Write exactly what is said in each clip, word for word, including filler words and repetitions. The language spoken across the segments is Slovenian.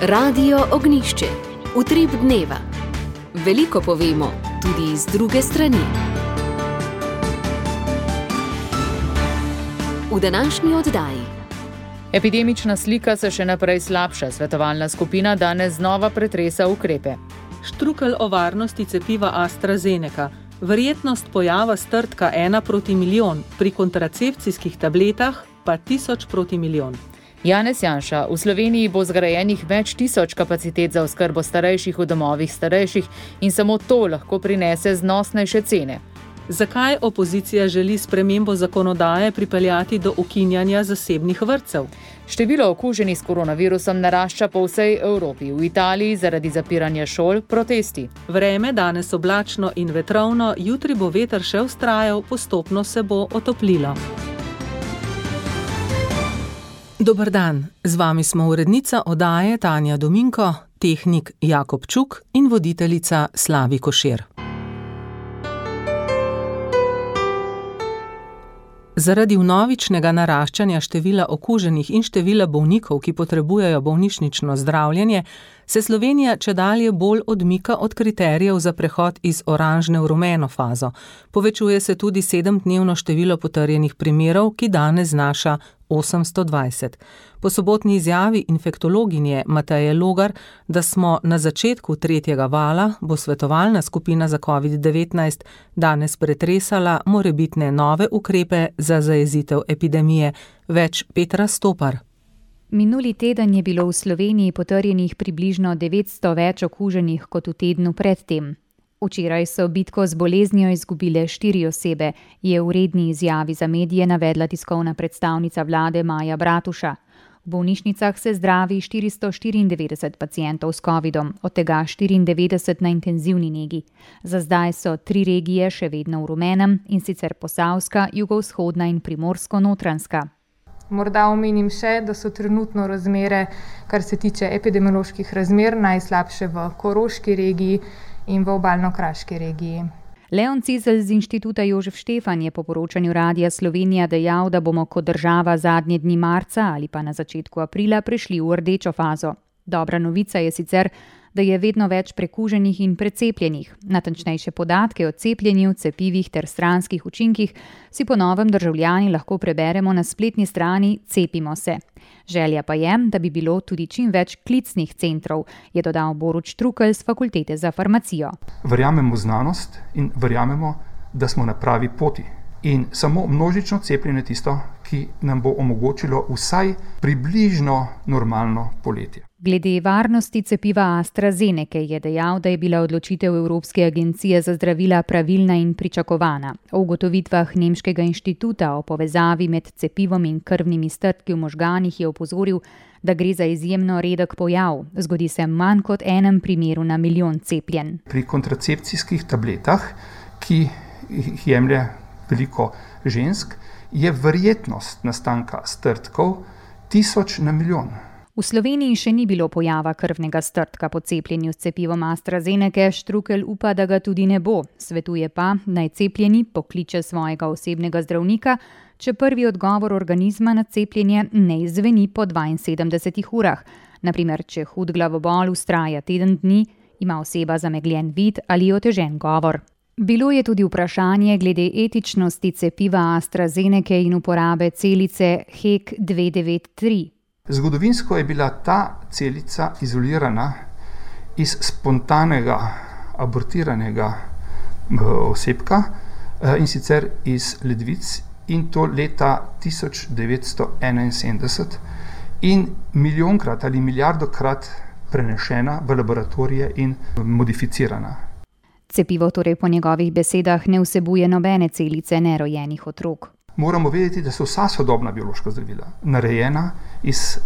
Radio Ognjišče. Utrip dneva. Veliko povemo, tudi iz druge strani. V današnji oddaji. Epidemična slika se še naprej slabša. Svetovalna skupina danes znova pretresa ukrepe. Štrukelj o varnosti cepiva AstraZeneca. Verjetnost pojava strdka ena proti milijon, pri kontracepcijskih tabletah pa tisoč proti milijon. Janez Janša, v Sloveniji bo zgrajenih več tisoč kapacitet za oskrbo starejših v domovih starejših in samo to lahko prinese znosnejše cene. Zakaj opozicija želi spremembo zakonodaje pripeljati do ukinjanja zasebnih vrtcev? Število okuženih s koronavirusom narašča po vsej Evropi. V Italiji zaradi zapiranja šol protesti. Vreme danes oblačno in vetrovno, jutri bo veter še vztrajal, postopno se bo otoplilo. Dober dan, z vami smo urednica oddaje Tanja Dominko, tehnik Jakob Čuk in voditeljica Slavi Košir. Zaradi vnovičnega naraščanja števila okuženih in števila bolnikov, ki potrebujejo bolnišnično zdravljenje, se Slovenija čedalje bolj odmika od kriterijev za prehod iz oranžne v rumeno fazo. Povečuje se tudi sedemdnevno število potrjenih primerov, ki danes znaša osemsto dvajset. Po sobotni izjavi infektologinje Mateje Logar, da smo na začetku tretjega vala, bo svetovalna skupina za covid devetnajst danes pretresala morebitne nove ukrepe za zajezitev epidemije. Več Petra Stopar. Minuli teden je bilo v Sloveniji potrjenih približno devetsto več okuženih kot v tednu predtem. Včeraj so bitko z boleznijo izgubile štiri osebe, je v redni izjavi za medije navedla tiskovna predstavnica vlade Maja Bratuša. V bolnišnicah se zdravi štiristo štiriindevetdeset pacientov s covidom, od tega štiriindevetdeset na intenzivni negi. Za zdaj so tri regije še vedno v rumenem, in sicer Posavska, jugovzhodna in Primorsko-notranjska. Morda omenim še, da so trenutno razmere, kar se tiče epidemioloških razmer, najslabše v Koroški regiji in v Obalno-kraški regiji. Leon Cizelj z Inštituta Jožef Štefan je po poročanju Radia Slovenija dejal, da bomo kot država zadnje dni marca ali pa na začetku aprila prešli v rdečo fazo. Dobra novica je sicer, da je vedno več prekuženih in precepljenih. Natančnejše podatke o cepljenju, cepivih ter stranskih učinkih si po novem državljani lahko preberemo na spletni strani Cepimo se. Želja pa je, da bi bilo tudi čim več klicnih centrov, je dodal Borut Štrukelj z Fakultete za farmacijo. Verjamemo v znanost in verjamemo, da smo na pravi poti. In samo množično cepljenje tisto, ki nam bo omogočilo vsaj približno normalno poletje. Glede varnosti cepiva AstraZeneca je dejal, da je bila odločitev Evropske agencije za zdravila pravilna in pričakovana. O ugotovitvah nemškega inštituta o povezavi med cepivom in krvnimi strdki v možganih je opozoril, da gre za izjemno redek pojav. Zgodi se manj kot enem primeru na milijon cepljen. Pri kontracepcijskih tabletah, ki jih jemlje veliko žensk, je verjetnost nastanka strdkov tisoč na milijon. V Sloveniji še ni bilo pojava krvnega strdka po cepljenju s cepivom AstraZeneca, Štrukelj upa, da ga tudi ne bo. Svetuje pa, naj cepljeni pokliče svojega osebnega zdravnika, če prvi odgovor organizma na cepljenje ne izzveni po dvainsedemdesetih urah. Naprimer, če hud glavobol vztraja teden dni, ima oseba zamegljen vid ali otežen govor. Bilo je tudi vprašanje glede etičnosti cepiva AstraZeneca in uporabe celice H E K dve devet tri. Zgodovinsko je bila ta celica izolirana iz spontanega abortiranega osebka, in sicer iz ledvic, in to leta tisoč devetsto enainsedemdeset in milijonkrat ali milijardokrat prenešena v laboratorije in modificirana. Cepivo torej po njegovih besedah ne vsebuje nobene celice nerojenih otrok. Moramo vedeti, da so vsa sodobna biološka zdravila narejena iz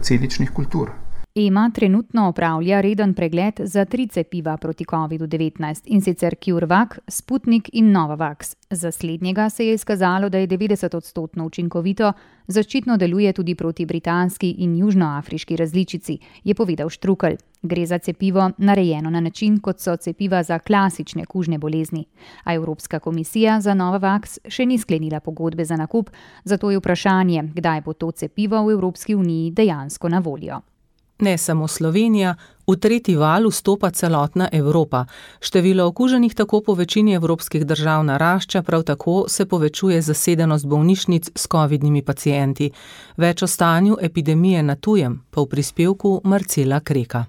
celičnih kultur. E M A trenutno opravlja reden pregled za tri cepiva proti covid devetnajst, in sicer CureVac, Sputnik in Novavax. Za slednjega se je izkazalo, da je devetdeset odstotno učinkovito, zaščitno deluje tudi proti britanski in južnoafriški različici, je povedal Štrukelj. Gre za cepivo narejeno na način, kot so cepiva za klasične kužne bolezni. A Evropska komisija za Novavax še ni sklenila pogodbe za nakup, zato je vprašanje, kdaj bo to cepivo v Evropski uniji dejansko na voljo. Ne samo Slovenija, v tretji val vstopa celotna Evropa. Število okuženih tako po večini evropskih držav narašča, prav tako se povečuje zasedenost bolnišnic s covidnimi pacienti. Več o stanju epidemije na tujem pa v prispevku Marcela Kreka.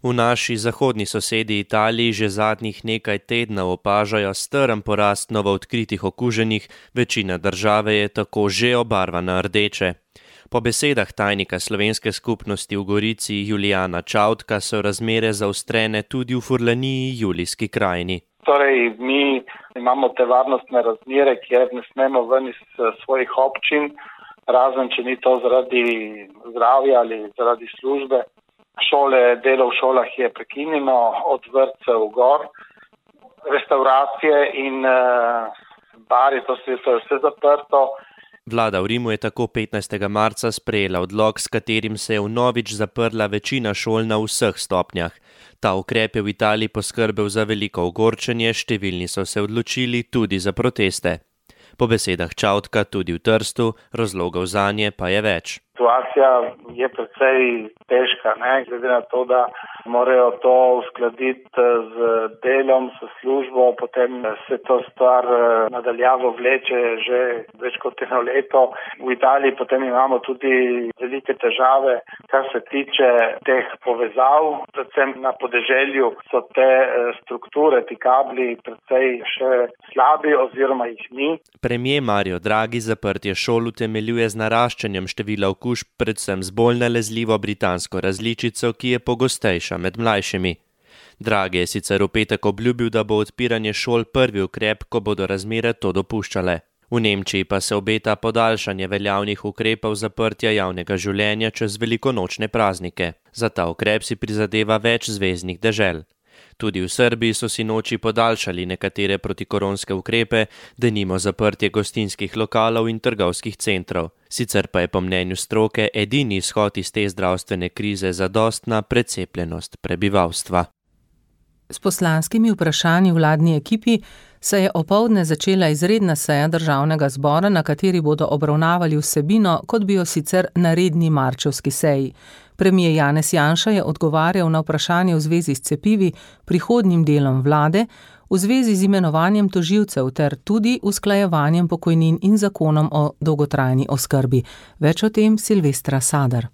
V naši zahodni sosedi Italiji že zadnjih nekaj tednov opažajo strm porast novoodkritih okuženih, večina države je tako že obarvana rdeče. Po besedah tajnika slovenske skupnosti v Gorici Julijana Čautka so razmere zaostrene tudi v Furlaniji, Julijski krajini. Torej, mi imamo te varnostne razmere, kjer ne smemo ven iz svojih občin, razen če ni to zaradi zdravja ali zaradi službe. Šole, delo v šolah je prekinjeno, od vrtcev gor, restauracije in uh, bari, to je vse zaprto. Vlada v Rimu je tako petnajstega marca sprejela odlok, s katerim se je vnovič zaprla večina šol na vseh stopnjah. Ta ukrep je v Italiji poskrbel za veliko ogorčenje, številni so se odločili tudi za proteste. Po besedah Čautka tudi v Trstu, razlogov zanje pa je več. Situacija je precej težka, ne? Glede na to, da morajo to uskladiti z delom, s službo, potem se to stvar nadaljavo vleče že več kot eno leto. V Italiji potem imamo tudi velike težave, kar se tiče teh povezav, predvsem na podeželju so te strukture, ti kabli precej še slabi oziroma jih ni. Premier Mario Draghi zaprtje šol utemeljuje z naraščanjem števila okužb, predvsem z bolj nalezljivo britansko različico, ki je pogostejša med mlajšimi. Draghi je sicer v petek obljubil, da bo odpiranje šol prvi ukrep, ko bodo razmere to dopuščale. V Nemčiji pa se obeta podaljšanje veljavnih ukrepov zaprtja javnega življenja čez velikonočne praznike. Za ta ukrep si prizadeva več zveznih dežel. Tudi v Srbiji so si noči podaljšali nekatere protikoronske ukrepe, denimo zaprtje gostinskih lokalov in trgovskih centrov. Sicer pa je po mnenju stroke edini izhod iz te zdravstvene krize zadostna precepljenost prebivalstva. S poslanskimi vprašanji vladni ekipi se je opoldne začela izredna seja državnega zbora, na kateri bodo obravnavali vsebino, kot bi jo sicer na redni marčevski seji. Premier Janez Janša je odgovarjal na vprašanje v zvezi s cepivi, prihodnjim delom vlade, v zvezi z imenovanjem tožilcev ter tudi usklajevanjem pokojnin in zakonom o dolgotrajni oskrbi. Več o tem Silvestra Sadar.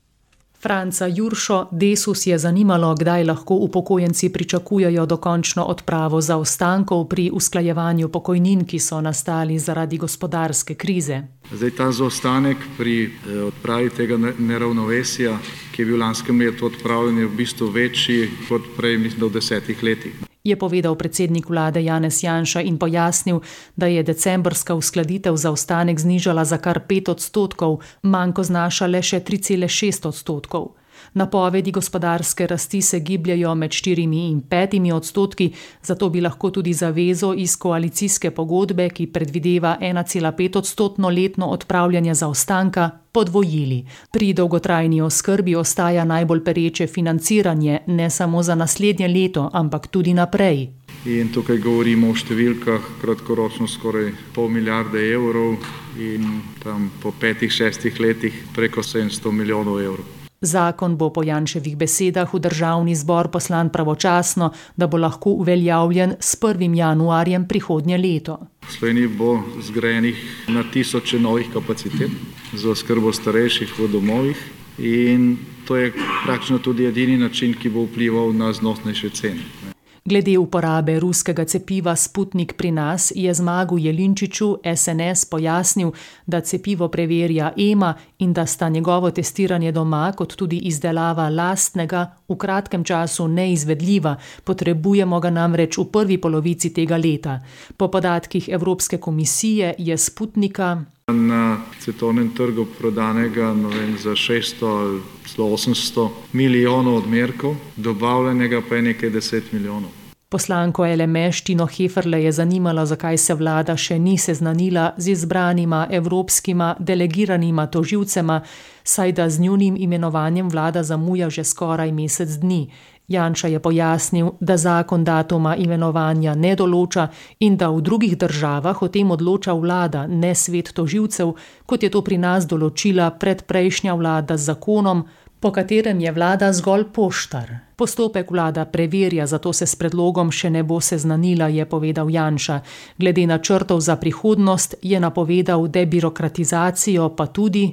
Franca Juršo Desus je zanimalo, kdaj lahko upokojenci pričakujejo dokončno odpravo zaostankov pri usklajevanju pokojnin, ki so nastali zaradi gospodarske krize. Zdaj ta zaostanek pri odpravi tega neravnovesja, ki je bil lanskem letu odpravljen, je v bistvu večji kot prej, mislim, v desetih letih. Je povedal predsednik vlade Janez Janša in pojasnil, da je decembrska uskladitev zaostanek znižala za kar pet odstotkov, manko znaša le še tri cele šest odstotkov. Napovedi gospodarske rasti se gibljajo med štirimi in petimi odstotki, zato bi lahko tudi zavezo iz koalicijske pogodbe, ki predvideva ena cela pet odstotno letno odpravljanje zaostanka, podvojili. Pri dolgotrajni oskrbi ostaja najbolj pereče financiranje, ne samo za naslednje leto, ampak tudi naprej. In tukaj govorimo o številkah kratkoročno skoraj pol milijarde evrov in tam po petih, šestih letih preko sedemsto milijonov evrov. Zakon bo po Janševih besedah v državni zbor poslan pravočasno, da bo lahko uveljavljen s prvim januarjem prihodnje leto. V Sloveniji bo zgrajenih na tisoče novih kapacitet za oskrbo starejših v domovih in to je praktično tudi edini način, ki bo vplival na znosnejše cene. Glede uporabe ruskega cepiva Sputnik pri nas je Zmagu Jelinčiču S N S pojasnil, da cepivo preverja E M A in da sta njegovo testiranje doma kot tudi izdelava lastnega v kratkem času neizvedljiva, potrebujemo ga namreč v prvi polovici tega leta. Po podatkih Evropske komisije je Sputnika na svetovnem trgu prodanega no vem, za šeststo do osemsto milijonov odmerkov, dobavljenega pa je nekaj deset milijonov. Poslanko L M Š Tino Heferle je zanimalo, zakaj se vlada še ni seznanila z izbranima evropskima delegiranima tožilcema, saj da z njunim imenovanjem vlada zamuja že skoraj mesec dni. Janša je pojasnil, da zakon datuma imenovanja ne določa in da v drugih državah o tem odloča vlada, ne svet tožilcev, kot je to pri nas določila predprejšnja vlada z zakonom, po katerem je vlada zgolj poštar. Postopek vlada preverja, zato se s predlogom še ne bo seznanila, je povedal Janša. Glede načrtov za prihodnost je napovedal debirokratizacijo, pa tudi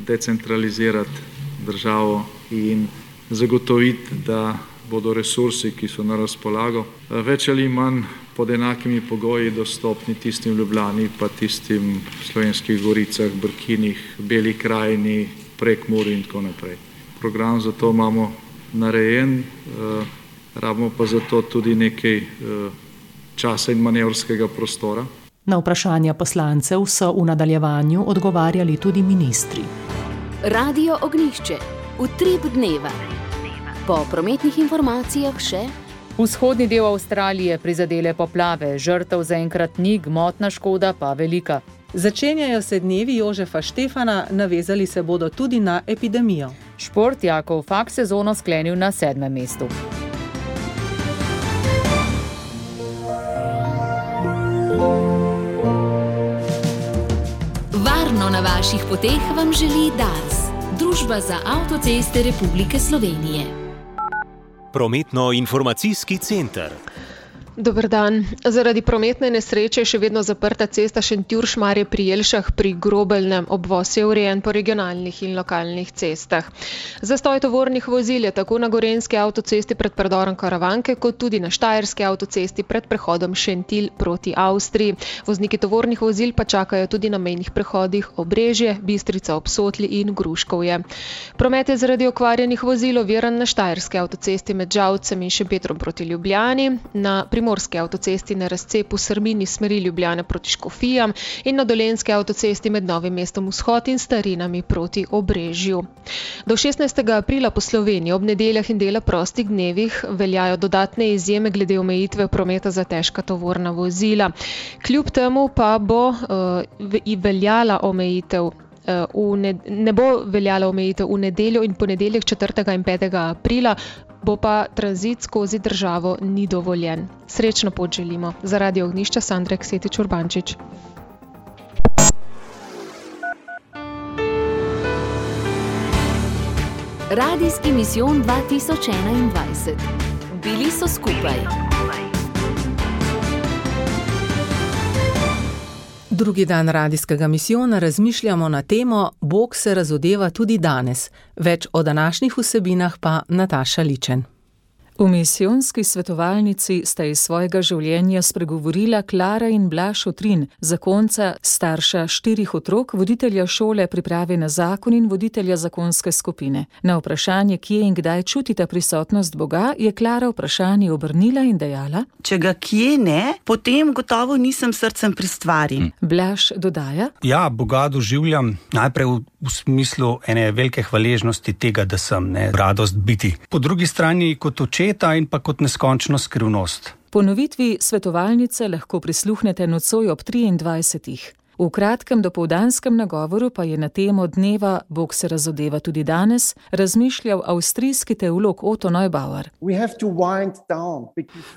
decentralizirati državo in zagotoviti, da bodo resursi, ki so na razpolago, več ali manj pod enakimi pogoji dostopni tistim v Ljubljani, pa tistim v Slovenskih goricah, Brkinih, Beli krajini, Prekmurju in tako naprej. Program za to imamo narejen, eh, rabimo pa za to tudi nekaj eh, časa in manevrskega prostora. Na vprašanja poslancev so v nadaljevanju odgovarjali tudi ministri. Radio Ognjišče, utrip dneva. Po prometnih informacijah še vzhodni del Avstralije prizadele poplave, žrtev zaenkrat ni, gmotna škoda pa velika. Začenjajo se dnevi Jožefa Štefana, navezali se bodo tudi na epidemijo. Šport Jakov Fak sezono sklenil na sedmem mestu. Varno na vaših poteh vam želi Dars, Družba za avtoceste Republike Slovenije. Prometno-informacijski center. Dober dan. Zaradi prometne nesreče je še vedno zaprta cesta Šentjur-Šmarje pri Jelšah pri Grobelnem. Obvoz je urejen po regionalnih in lokalnih cestah. Zastoj tovornih vozil je tako na gorenjski avtocesti pred predorom Karavanke, kot tudi na štajerski avtocesti pred prehodom Šentilj proti Avstriji. Vozniki tovornih vozil pa čakajo tudi na mejnih prehodih Obrežje, Bistrica ob Sotli in Gruškovje. Promet je zaradi okvarjenih vozil oviran na štajerski avtocesti med Žalcem in Šempetrom proti Ljubljani, na primorski avtocesti na razcepu Srmini smeri Ljubljane proti Škofijam in na dolenjski avtocesti med Novim mestom Vzhod in Starinami proti Obrežju. Do šestnajstega aprila po Sloveniji ob nedeljah in dela prostih dnevih veljajo dodatne izjeme glede omejitve prometa za težka tovorna vozila. Kljub temu pa bo uh, veljala omejitev uh, v ne, ne bo veljala omejitev v nedeljo in ponedeljek četrtega in petega aprila, bo pa tranzit skozi državo ni dovoljen. Srečno pot želimo. Za Radio Ognjišče Sandra Ksetič Urbančič. Radijski misijon dva tisoč enaindvajset. Bili so skupaj. Drugi dan radijskega misijona razmišljamo na temo Bog se razodeva tudi danes. Več o današnjih vsebinah pa Nataša Ličen. V misijonski svetovalnici sta iz svojega življenja spregovorila Klara in Blaž Otrin, zakonca, starša štirih otrok, voditelja šole priprave na zakon in voditelja zakonske skupine. Na vprašanje, kje in kdaj čutita prisotnost Boga, je Klara vprašanje obrnila in dejala: Če ga kje ne, potem gotovo nisem srcem pri stvari. Hm. Blaž dodaja: Ja, Boga doživljam najprej v, v smislu ene velike hvaležnosti tega, da sem, ne, radost biti. Po drugi strani kot očeta in pa kot neskončno skrivnost. Ponovitvi svetovalnice lahko prisluhnete nocoj ob triindvajsetih. V kratkem dopoldanskem nagovoru pa je na temo dneva Bog se razodeva tudi danes razmišljal avstrijski teolog Otto Neubauer.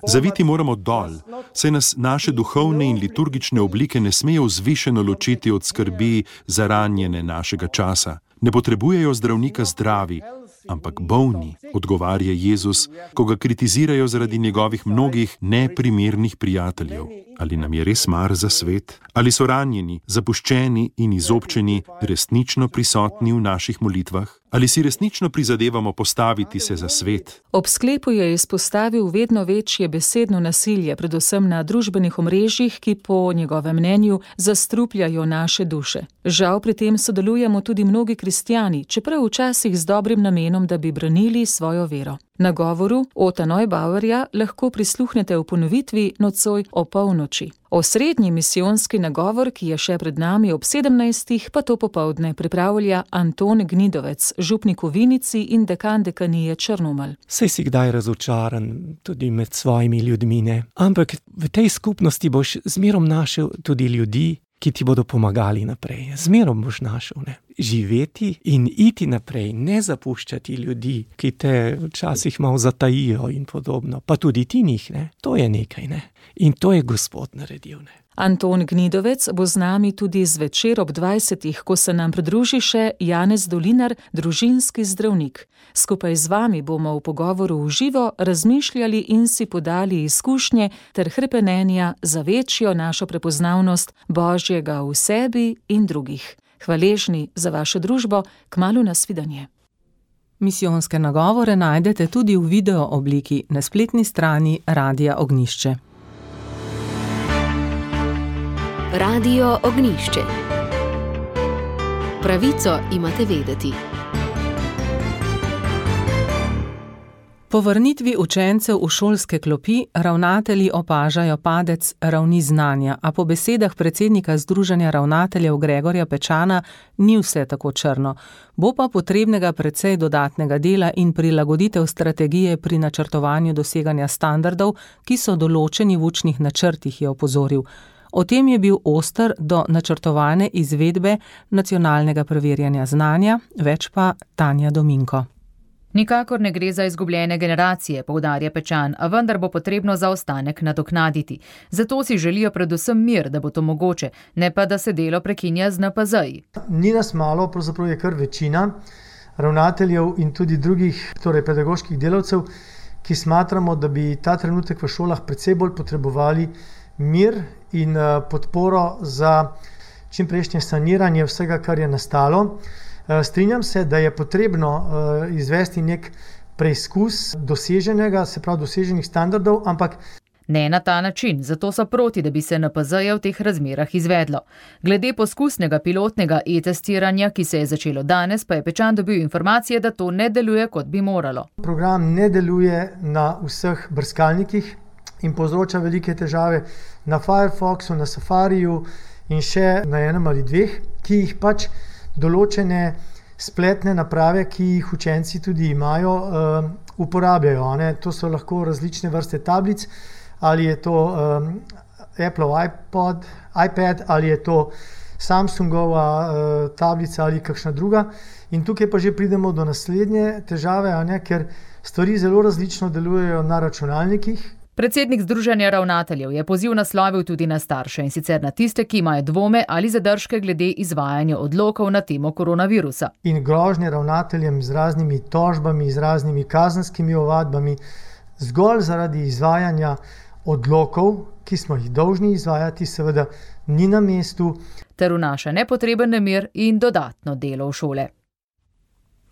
Zaviti moramo dol, saj nas naše duhovne in liturgične oblike ne smejo vzvišeno ločiti od skrbi za ranjene našega časa. Ne potrebujejo zdravnika zdravi, ampak bolni, odgovarja Jezus, ko ga kritizirajo zaradi njegovih mnogih neprimernih prijateljev. Ali nam je res mar za svet? Ali so ranjeni, zapuščeni in izobčeni resnično prisotni v naših molitvah? Ali si resnično prizadevamo postaviti se za svet? Ob sklepu je izpostavil vedno večje besedno nasilje, predvsem na družbenih omrežjih, ki po njegovem mnenju zastrupljajo naše duše. Žal pri tem sodelujemo tudi mnogi kristjani, čeprav včasih z dobrim namenom, da bi branili svojo vero. Nagovoru Otta Neubauerja lahko prisluhnete v ponovitvi nocoj o polnoči. Osrednji misijonski nagovor, ki je še pred nami ob sedemnajstih, pa to popoldne pripravlja Anton Gnidovec, župnik v Vinici in dekan dekanije Črnomelj. Saj si kdaj razočaran tudi med svojimi ljudmi, ne? Ampak v tej skupnosti boš zmerom našel tudi ljudi, ki ti bodo pomagali naprej. Zmerom boš našel, ne? živeti in iti naprej, ne zapuščati ljudi, ki te včasih malo zatajijo in podobno, pa tudi ti njih, ne, to je nekaj, ne, in to je Gospod naredil, ne. Anton Gnidovec bo z nami tudi zvečer ob dvajsetih, ko se nam pridruži še Janez Dolinar, družinski zdravnik. Skupaj z vami bomo v pogovoru v živo razmišljali in si podali izkušnje ter hrepenenja za večjo našo prepoznavnost Božjega v sebi in drugih. Hvaležni za vašo družbo, kmalu nasvidenje. Misijonske nagovore najdete tudi v video obliki na spletni strani Radia Ognjišče. Radio Ognjišče. Pravico imate vedeti. Po vrnitvi učencev v šolske klopi ravnatelji opažajo padec ravni znanja, a po besedah predsednika Združenja ravnateljev Gregorja Pečana ni vse tako črno. Bo pa potrebnega precej dodatnega dela in prilagoditev strategije pri načrtovanju doseganja standardov, ki so določeni v učnih načrtih, je opozoril. O tem je bil oster do načrtovane izvedbe nacionalnega preverjanja znanja, več pa Tanja Dominko. Nikakor ne gre za izgubljene generacije, poudarja Pečan, a vendar bo potrebno zaostanek nadoknaditi. Zato si želijo predvsem mir, da bo to mogoče, ne pa da se delo prekinja z N P Z-ji. Ni nas malo, pravzaprav je kar večina ravnateljev in tudi drugih, torej pedagoških delavcev, ki smatramo, da bi ta trenutek v šolah precej bolj potrebovali mir in podporo za čimprejšnje saniranje vsega, kar je nastalo. Strinjam se, da je potrebno izvesti nek preizkus doseženega, se pravi doseženih standardov, ampak ne na ta način, zato so proti, da bi se N P Z-je v teh razmerah izvedlo. Glede poskusnega pilotnega e-testiranja, ki se je začelo danes, pa je Pečan dobil informacije, da to ne deluje, kot bi moralo. Program ne deluje na vseh brskalnikih in povzroča velike težave na Firefoxu, na Safariju in še na enem ali dveh, ki jih pač določene spletne naprave, ki jih učenci tudi imajo, uh, uporabljajo. Ne? To so lahko različne vrste tablic, ali je to um, Apple iPod, iPad, ali je to Samsungova uh, tablica ali kakšna druga. In tukaj pa že pridemo do naslednje težave, a ne? Ker stvari zelo različno delujejo na računalnikih. Predsednik Združenja ravnateljev je poziv naslovil tudi na starše, in sicer na tiste, ki imajo dvome ali zadržke glede izvajanja odlokov na temo koronavirusa. In grožnje ravnateljem z raznimi tožbami, z raznimi kazenskimi ovadbami, zgolj zaradi izvajanja odlokov, ki smo jih dolžni izvajati, seveda ni na mestu. Ter vnaša nepotreben nemir in dodatno delo v šole.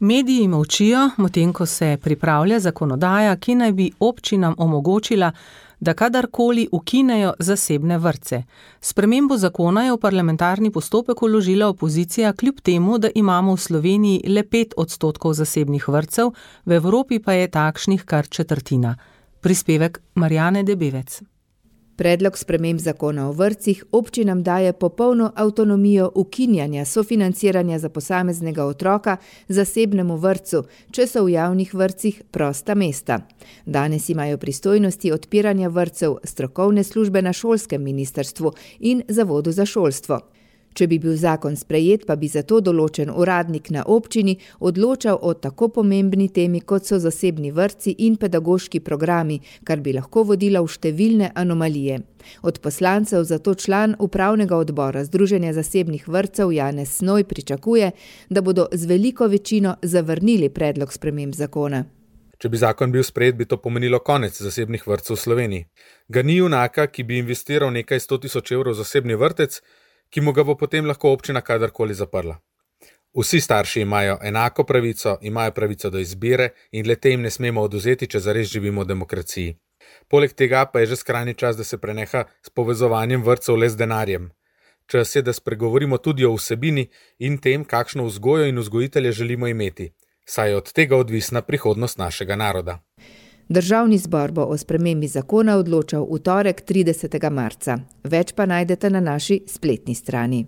Mediji molčijo, medtem ko se pripravlja zakonodaja, ki naj bi občinam omogočila, da kadarkoli ukinejo zasebne vrtce. Spremembo zakona je v parlamentarni postopek vložila opozicija, kljub temu, da imamo v Sloveniji le pet odstotkov zasebnih vrtcev, v Evropi pa je takšnih kar četrtina. Prispevek Marjane Debevec. Predlog sprememb zakona o vrtcih občinam daje popolno avtonomijo ukinjanja sofinanciranja za posameznega otroka zasebnemu vrtcu, če so v javnih vrtcih prosta mesta. Danes imajo pristojnosti odpiranja vrtcev strokovne službe na šolskem ministrstvu in Zavodu za šolstvo. Če bi bil zakon sprejet, pa bi zato določen uradnik na občini odločal o tako pomembni temi, kot so zasebni vrtci in pedagoški programi, kar bi lahko vodilo v številne anomalije. Od poslancev zato član upravnega odbora Združenja zasebnih vrtcev Janez Snoj pričakuje, da bodo z veliko večino zavrnili predlog sprememb zakona. Če bi zakon bil sprejet, bi to pomenilo konec zasebnih vrtcev v Sloveniji. Ga ni junaka, ki bi investiral nekaj sto tisoč evrov v zasebni vrtec, ki mu ga bo potem lahko občina kadarkoli zaprla. Vsi starši imajo enako pravico, imajo pravico do izbire in le te jim ne smemo odvzeti, če zares živimo v demokraciji. Poleg tega pa je že skrajni čas, da se preneha s povezovanjem vrtcev le z denarjem. Čas je, da spregovorimo tudi o vsebini in tem, kakšno vzgojo in vzgojitelje želimo imeti, saj je od tega odvisna prihodnost našega naroda. Državni zbor bo o spremembi zakona odločal v torek tridesetega marca. Več pa najdete na naši spletni strani.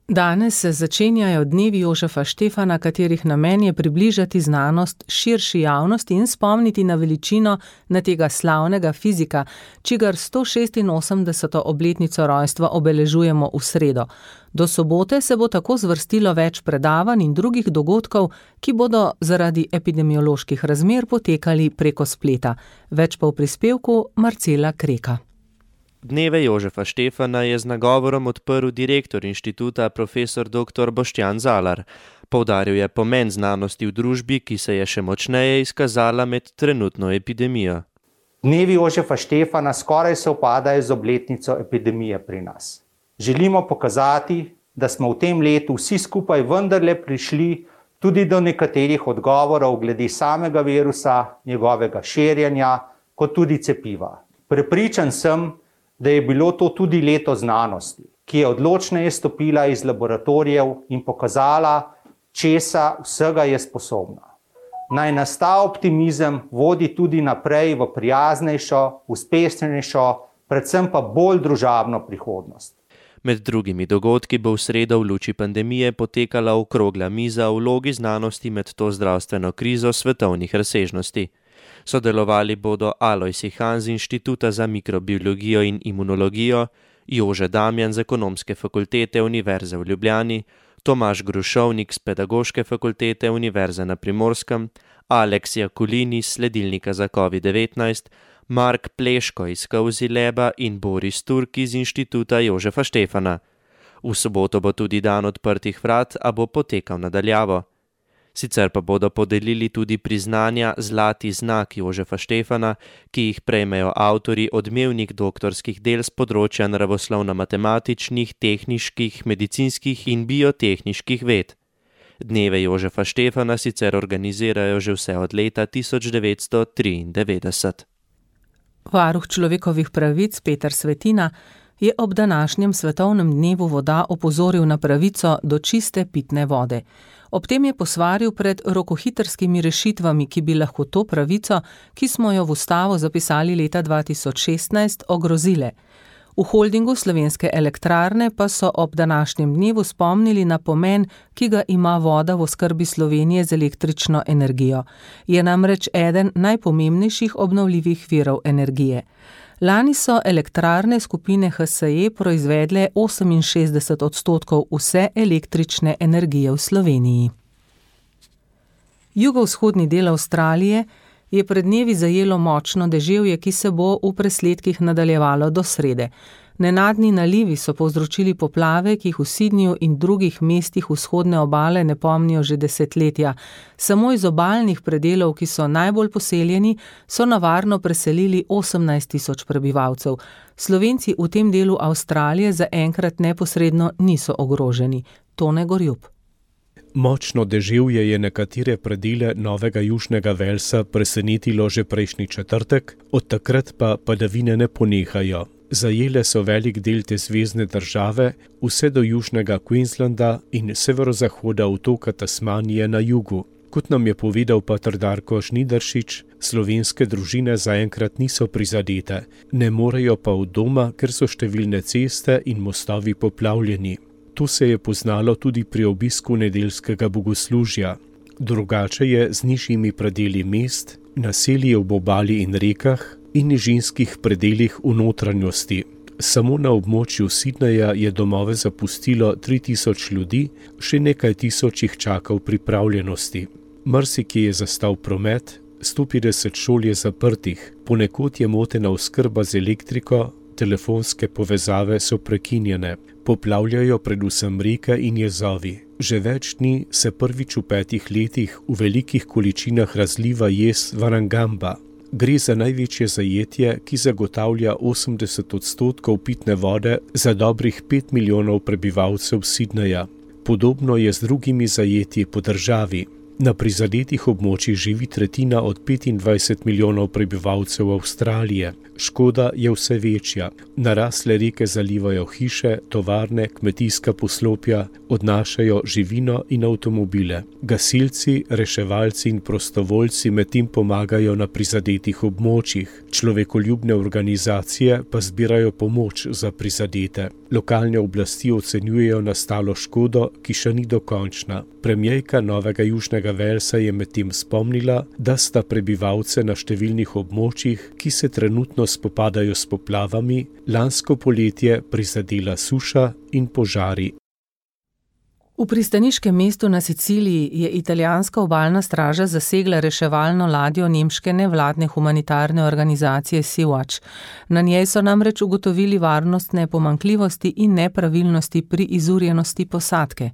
Danes se začenjajo dnevi Jožefa Štefana, katerih namen je približati znanost širši javnosti in spomniti na veličino na tega slavnega fizika, čigar sto šestinosemdeseto obletnico rojstva obeležujemo v sredo. Do sobote se bo tako zvrstilo več predavanj in drugih dogodkov, ki bodo zaradi epidemioloških razmer potekali preko spleta. Več pa v prispevku Marcela Kreka. Dneve Jožefa Štefana je z nagovorom odprl direktor inštituta profesor doktor Boštjan Zalar. Poudaril je pomen znanosti v družbi, ki se je še močneje izkazala med trenutno epidemijo. Dnevi Jožefa Štefana skoraj sovpadajo z obletnico epidemije pri nas. Želimo pokazati, da smo v tem letu vsi skupaj vendarle prišli tudi do nekaterih odgovorov glede samega virusa, njegovega širjenja, kot tudi cepiva. Prepričan sem, da je bilo to tudi leto znanosti, ki je odločneje stopila iz laboratorijev in pokazala, česa vsega je sposobna. Naj nas ta optimizem vodi tudi naprej v prijaznejšo, uspešnejšo, predvsem pa bolj družabno prihodnost. Med drugimi dogodki bo v sredo v luči pandemije potekala okrogla miza o vlogi znanosti med to zdravstveno krizo svetovnih razsežnosti. Sodelovali bodo Alojz Ihan z Inštituta za mikrobiologijo in imunologijo, Jože Damjan z Ekonomske fakultete Univerze v Ljubljani, Tomaž Grušovnik z Pedagoške fakultete Univerze na Primorskem, Aleks Jakulini iz Sledilnika za covid devetnajst, Mark Pleško iz Cozy Laba in Boris Turk iz Inštituta Jožefa Štefana. V soboto bo tudi dan odprtih vrat, a bo potekal nadaljavo. Sicer pa bodo podelili tudi priznanja Zlati znak Jožefa Štefana, ki jih prejmejo avtorji odmevnih doktorskih del z področja naravoslovno-matematičnih, tehniških, medicinskih in biotehniških ved. Dneve Jožefa Štefana sicer organizirajo že vse od leta tisoč devetsto triindevetdeset. Varuh človekovih pravic Peter Svetina je ob današnjem svetovnem dnevu voda opozoril na pravico do čiste pitne vode. Ob tem je posvaril pred rokohitrskimi rešitvami, ki bi lahko to pravico, ki smo jo v ustavo zapisali leta dva tisoč šestnajst, ogrozile. V holdingu Slovenske elektrarne pa so ob današnjem dnevu spomnili na pomen, ki ga ima voda v oskrbi Slovenije z električno energijo. Je namreč eden najpomembnejših obnovljivih virov energije. Lani so elektrarne skupine H S E proizvedle oseminšestdeset odstotkov vse električne energije v Sloveniji. Jugovzhodni del Avstralije je pred dnevi zajelo močno deževje, ki se bo v presledkih nadaljevalo do srede. Nenadni nalivi so povzročili poplave, ki jih v Sydneyju in drugih mestih vzhodne obale ne pomnijo že desetletja. Samo iz obalnih predelov, ki so najbolj poseljeni, so na varno preselili osemnajst tisoč prebivalcev. Slovenci v tem delu Avstralije zaenkrat neposredno niso ogroženi. Tone Gorjup. Močno deževje je nekatere predele Novega Južnega Velsa presenetilo že prejšnji četrtek, od takrat pa padavine ne ponehajo. Zajele so velik del te zvezne države, vse do južnega Queenslanda in severozahoda otoka Tasmanije na jugu. Kot nam je povedal pater Darko Žnidaršič, slovenske družine zaenkrat niso prizadete, ne morejo pa od doma, ker so številne ceste in mostovi poplavljeni. To se je poznalo tudi pri obisku nedeljskega bogoslužja. Drugače je z nižjimi predeli mest, naselji ob obali in rekah in nižinskih predelih v notranjosti. Samo na območju Sydneyja je domove zapustilo tri tisoč ljudi, še nekaj tisoč jih čaka v pripravljenosti. Marsikje je zastal promet, sto petdeset šol je zaprtih, ponekod je motena oskrba z elektriko, telefonske povezave so prekinjene. Poplavljajo predvsem reke in jezovi. Že več dni se prvič v petih letih v velikih količinah razliva jez Varangamba. Gre za največje zajetje, ki zagotavlja osemdeset odstotkov pitne vode za dobrih pet milijonov prebivalcev Sydneyja. Podobno je z drugimi zajetji po državi. Na prizadetih območjih živi tretjina od petindvajset milijonov prebivalcev Avstralije. Škoda je vse večja. Narasle reke zalivajo hiše, tovarne, kmetijska poslopja, odnašajo živino in avtomobile. Gasilci, reševalci in prostovoljci medtem pomagajo na prizadetih območjih. Človekoljubne organizacije pa zbirajo pomoč za prizadete. Lokalne oblasti ocenjujejo nastalo škodo, ki še ni dokončna. Premierka Novega Južnega Walesa je medtem spomnila, da sta prebivalce na številnih območjih, ki se trenutno spopadajo s poplavami, lansko poletje prizadela suša in požari. V pristaniškem mestu na Siciliji je italijanska obalna straža zasegla reševalno ladjo nemške nevladne humanitarne organizacije Sea-Watch. Na njej so namreč ugotovili varnostne pomanjkljivosti in nepravilnosti pri izurjenosti posadke.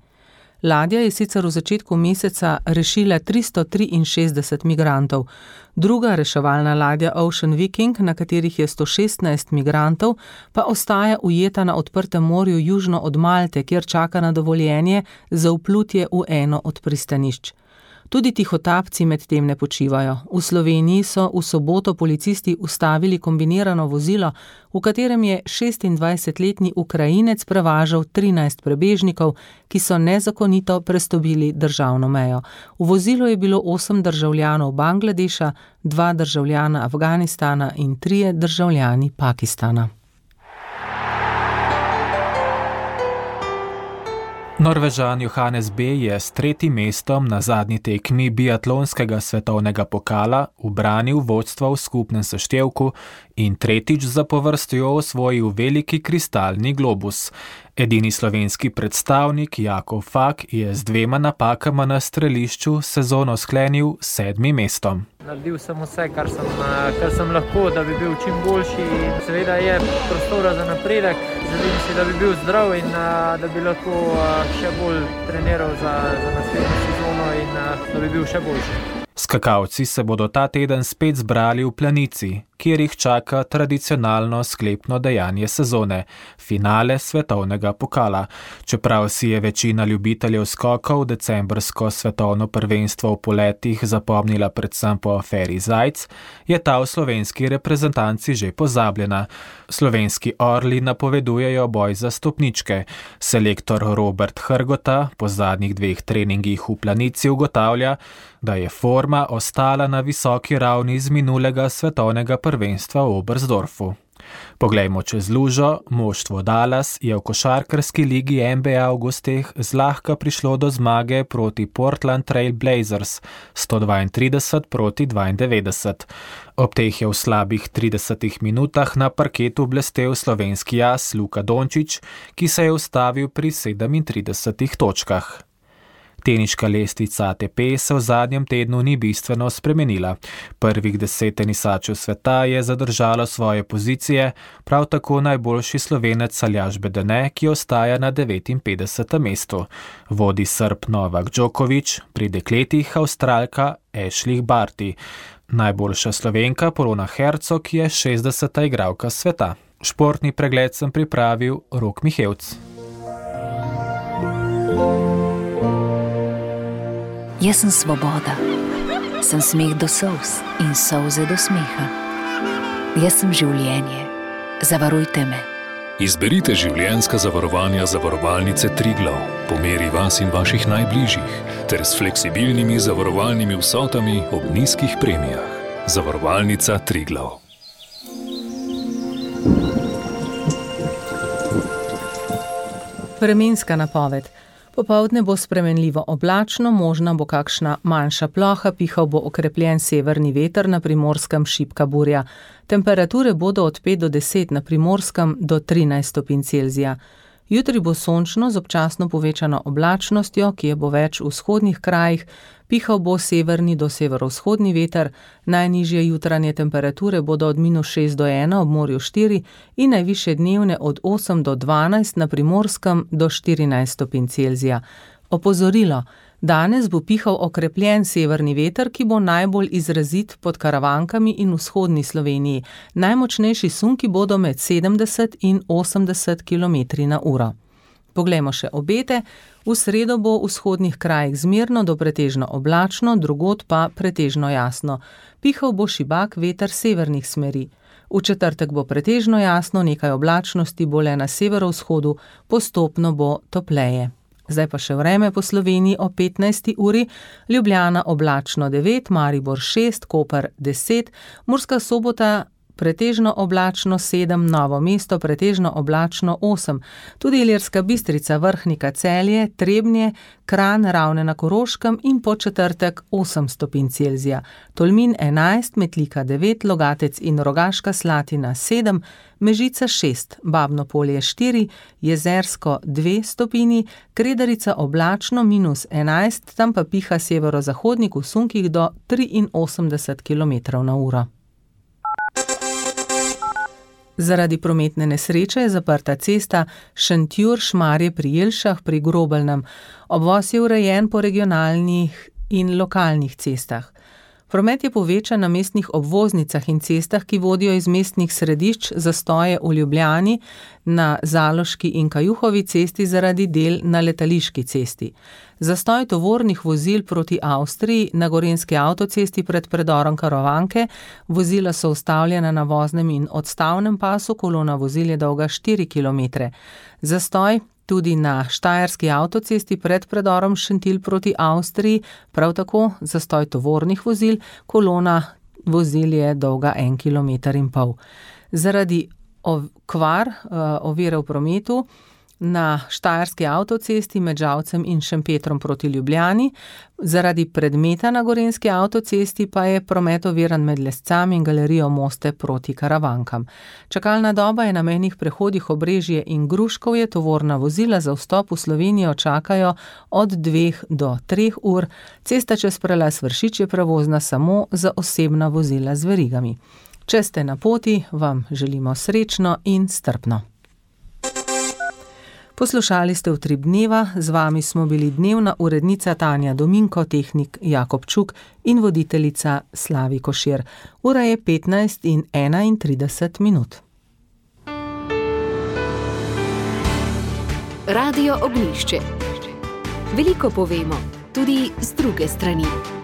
Ladja je sicer v začetku meseca rešila tristo triinšestdeset migrantov. Druga reševalna ladja Ocean Viking, na katerih je sto šestnajst migrantov, pa ostaja ujeta na odprtem morju južno od Malte, kjer čaka na dovoljenje za vplutje v eno od pristanišč. Tudi tihotapci medtem ne počivajo. V Sloveniji so v soboto policisti ustavili kombinirano vozilo, v katerem je šestindvajsetletni Ukrajinec prevažal trinajst prebežnikov, ki so nezakonito prestopili državno mejo. V vozilu je bilo osem državljanov Bangladeša, dva državljana Afganistana in trije državljani Pakistana. Norvežan Johannes B. je s tretjim mestom na zadnji tekmi biatlonskega svetovnega pokala ubranil vodstvo v skupnem seštevku in tretjič zapovrstjo osvojil veliki kristalni globus. Edini slovenski predstavnik Jakov Fak je z dvema napakama na strelišču sezono sklenil s sedmim mestom. Naredil sem vse, kar sem, kar sem lahko, da bi bil čim boljši. Seveda je prostora za napredek. Želim si, da bi bil zdrav in da bi lahko še bolj treniral za, za naslednjo sezono in da bi bil še boljši. Skakalci se bodo ta teden spet zbrali v Planici, kjer jih čaka tradicionalno sklepno dejanje sezone, finale svetovnega pokala. Čeprav si je večina ljubiteljev skokov decembrsko svetovno prvenstvo v poletih zapomnila predvsem po aferi Zajc, je ta v slovenski reprezentanci že pozabljena. Slovenski orli napovedujejo boj za stopničke. Selektor Robert Hrgota po zadnjih dveh treningih v Planici ugotavlja, da je forma ostala na visoki ravni z minulega svetovnega prvenstva v Oberstdorfu. Poglejmo čez lužo, moštvo Dallas je v košarkarski ligi N B A v gosteh zlahka prišlo do zmage proti Portland Trail Blazers sto dvaintrideset proti dvaindevetdeset. Ob teh je v slabih tridesetih minutah na parketu blestel slovenski as Luka Dončić, ki se je ustavil pri sedemintridesetih točkah. Teniška lestvica A T P se v zadnjem tednu ni bistveno spremenila. Prvih deset tenisačev sveta je zadržalo svoje pozicije, prav tako najboljši Slovenec Aljaž Bedene, ki ostaja na devetinpetdesetem mestu. Vodi Srb Novak Djokovic, pri dekletih Avstralka Ashley Barty. Najboljša Slovenka Polona Hercog je šestdeseta igralka sveta. Športni pregled sem pripravil Rok Mihevc. Jaz sem svoboda, sem smeh do solz in solze do smeha. Jaz sem življenje, zavarujte me. Izberite življenjska zavarovanja zavarovalnice Triglav po meri vas in vaših najbližjih ter s fleksibilnimi zavarovalnimi vsotami ob nizkih premijah. Zavarovalnica Triglav. Vremenska napoved. Popoldne bo spremenljivo oblačno, možna bo kakšna manjša ploha, pihal bo okrepljen severni veter, na Primorskem šibka burja. Temperature bodo od pet do deset, na Primorskem do trinajst stopinj Celzija. Jutri bo sončno z občasno povečano oblačnostjo, ki je bo več v vzhodnih krajih, pihal bo severni do severovzhodni veter, najnižje jutranje temperature bodo od minus šest do ena ob morju štiri in najvišje dnevne od osem do dvanajst, na Primorskem do štirinajst stopinj Celzija. Opozorilo. Danes bo pihal okrepljen severni veter, ki bo najbolj izrazit pod Karavankami in vzhodni Sloveniji. Najmočnejši sunki bodo med sedemdeset in osemdeset kilometrov na uro. Poglejmo še obete. V sredo bo v vzhodnih krajih zmerno do pretežno oblačno, drugod pa pretežno jasno. Pihal bo šibak veter severnih smeri. V četrtek bo pretežno jasno, nekaj oblačnosti bo le na severovzhodu, postopno bo topleje. Zdaj pa še vreme po Sloveniji o petnajsti uri. Ljubljana oblačno devet, Maribor šest, Koper deset, Murska Sobota pretežno oblačno sedem, Novo mesto pretežno oblačno osem, tudi Ilirska Bistrica, Vrhnika, Celje, Trebnje, Kranj, Ravne na Koroškem in po četrtek osem stopinj Celzija. Tolmin enajst, Metlika devet, Logatec in Rogaška Slatina sedem, Mežica šest, Babno Polje štiri, Jezersko dve stopinji, Kredarica oblačno minus enajst, tam pa piha severozahodnik v sunkih do triinosemdeset kilometrov na uro. Zaradi prometne nesreče je zaprta cesta Šentjur-Šmarje pri Jelšah pri Grobelnem. Obvoz je urejen po regionalnih in lokalnih cestah. Promet je povečan na mestnih obvoznicah in cestah, ki vodijo iz mestnih središč, zastoje v Ljubljani, na Zaloški in Kajuhovi cesti zaradi del na Letališki cesti. Zastoj tovornih vozil proti Avstriji na Gorenjski avtocesti pred predorom Karovanke, vozila so ustavljena na voznem in odstavnem pasu, kolona vozil je dolga štiri kilometre. Zastoj tudi na Štajerski avtocesti pred predorom Šentilj proti Avstriji, prav tako zastoj tovornih vozil, kolona vozil je dolga en kilometer in pol. Zaradi okvar, ovire v prometu, na Štajerski avtocesti med Žalcem in Šempetrom proti Ljubljani, zaradi predmeta na Gorenjski avtocesti pa je promet oviran med Lescami in Galerijo Moste proti Karavankam. Čakalna doba je na mejnih prehodih Obrežje in Gruškovje, tovorna vozila za vstop v Slovenijo čakajo od dveh do treh ur, cesta čez prelaz Vršič je prevozna samo za osebna vozila z verigami. Če ste na poti, vam želimo srečno in strpno. Poslušali ste Utrip dneva, z vami smo bili dnevna urednica Tanja Dominko, tehnik Jakob Čuk in voditeljica Slavi Košir. Ura je petnajst in enaintrideset minut. Radio Ognjišče. Veliko povemo, tudi z druge strani.